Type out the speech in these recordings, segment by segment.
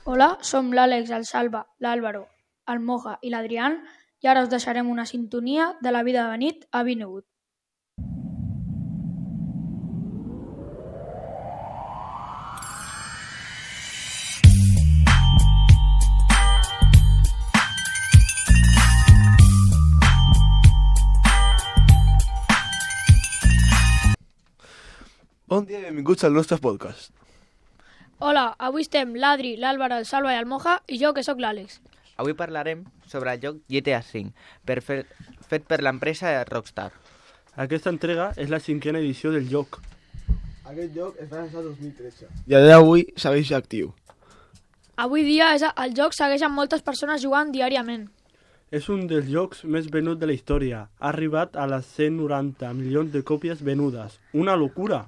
Hola, som l'Àlex, el Salva, l'Àlvaro, el Moja i l'Adrián i ara us deixarem una sintonia de la vida de nit a Vinewood. Bon dia i benvinguts al nostre podcast. Hola, avui estem l'Adri, l'Àlvaro, el Salva i el Moja i jo, que sóc l'Àlex. Avui parlarem sobre el joc GTA V, fet per l'empresa Rockstar. Aquesta entrega és la 5a edició del joc. Aquest joc es va llançar el 2013 i a dia d'avui segueix actiu. Avui dia el joc segueix amb moltes persones jugant diàriament. És un dels jocs més venuts de la història. Ha arribat a les 190 milions de còpies venudes. Una locura!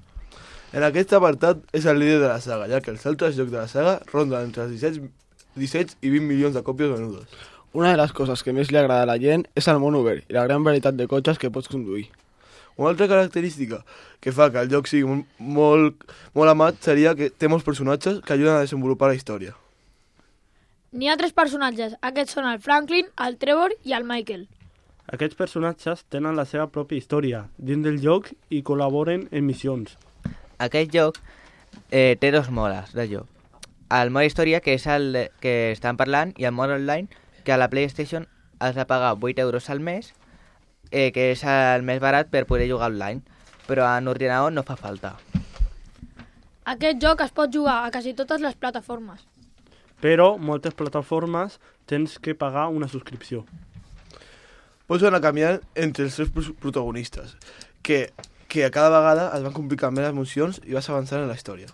En aquest apartat és el líder de la saga, ja que els altres jocs de la saga ronden entre els 17 i 20 milions de còpies venudes. Una de les coses que més li agrada a la gent és el món obert i la gran varietat de cotxes que pots conduir. Una altra característica que fa que el joc sigui molt amat seria que té molts personatges que ajuden a desenvolupar la història. N'hi ha 3 personatges, aquests són el Franklin, el Trevor i el Michael. Aquests personatges tenen la seva pròpia història dins del joc i col·laboren en missions. Aquest joc té dos modes de joc. El mode història, que és el que estan parlant, i el mode online, que a la PlayStation has de pagar 8 euros al mes, que és el més barat per poder jugar online, però en ordinador no fa falta. Aquest joc es pot jugar a quasi totes les plataformes. Però moltes plataformes tens que pagar una subscripció. Pots anar canviant entre els 3 protagonistes, que a cada vegada es van complicant més les emocions i vas avançant en la història.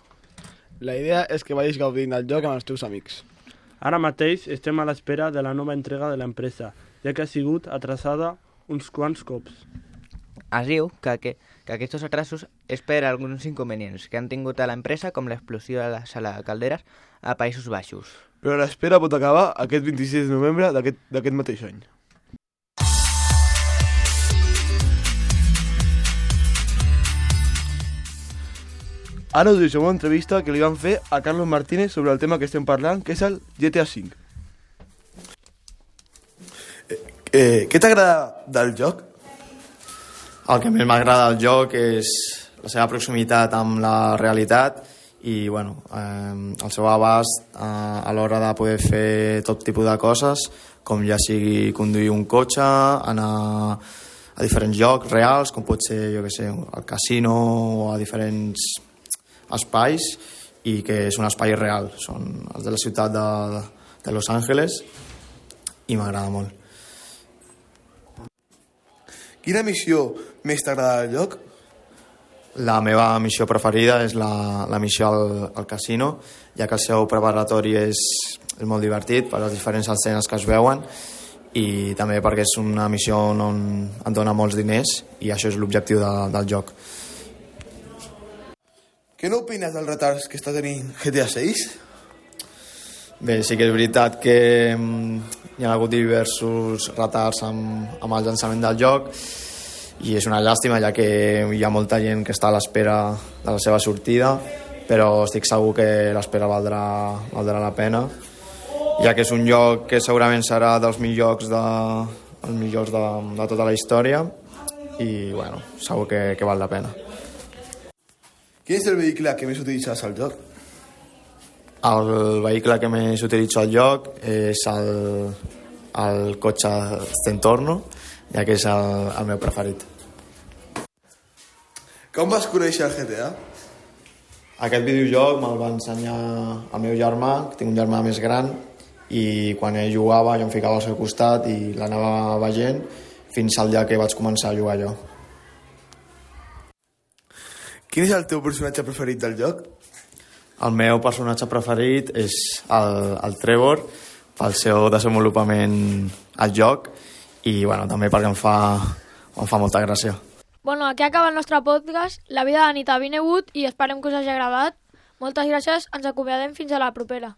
La idea és que vagis gaudint del joc amb els teus amics. Ara mateix estem a l'espera de la nova entrega de l'empresa, ja que ha sigut atrasada uns quants cops. Es diu que aquests atrasos és per alguns inconvenients que han tingut a l'empresa, com l'explosió de la sala de calderes a Països Baixos. Però l'espera pot acabar aquest 26 de novembre d'aquest mateix any. Ara us deixem una entrevista que li van fer a Carlos Martínez sobre el tema que estem parlant, que és el GTA V. Què t'agrada del joc? El que més m'agrada del joc és la seva proximitat amb la realitat i el seu abast a l'hora de poder fer tot tipus de coses, com ja sigui conduir un cotxe, anar a diferents llocs reals, com pot ser, al casino o a diferents espais, i que és un espai real. Són els de la ciutat de Los Angeles i m'agrada molt. Quina missió més t'agrada del joc? La meva missió preferida és la missió al casino, ja que el seu preparatori és molt divertit per les diferents escenes que es veuen i també perquè és una missió on et dona molts diners i això és l'objectiu del joc. Què n'opines dels retards que està tenint GTA 6? Bé, sí que és veritat que hi ha hagut diversos retards amb el llançament del joc i és una llàstima, ja que hi ha molta gent que està a l'espera de la seva sortida, però estic segur que l'espera valdrà la pena, ja que és un joc que segurament serà dels millors de tota la història i segur que val la pena. Quin és el vehicle que més utilitzes al joc? El vehicle que més utilitzo al joc és el cotxe Stentorno, ja que és el meu preferit. Com vas conèixer el GTA? Aquest videojoc me'l va ensenyar el meu germà, que tinc un germà més gran, i quan ell jugava jo em ficava al seu costat i l'anava veient fins al dia que vaig començar a jugar jo. Quin és el teu personatge preferit del joc? El meu personatge preferit és el Trevor, pel seu desenvolupament al joc i també perquè em fa molta gràcia. Aquí acaba el nostre podcast, La vida de nit a Vinewood, i esperem que us hagi agradat. Moltes gràcies, ens acomiadem fins a la propera.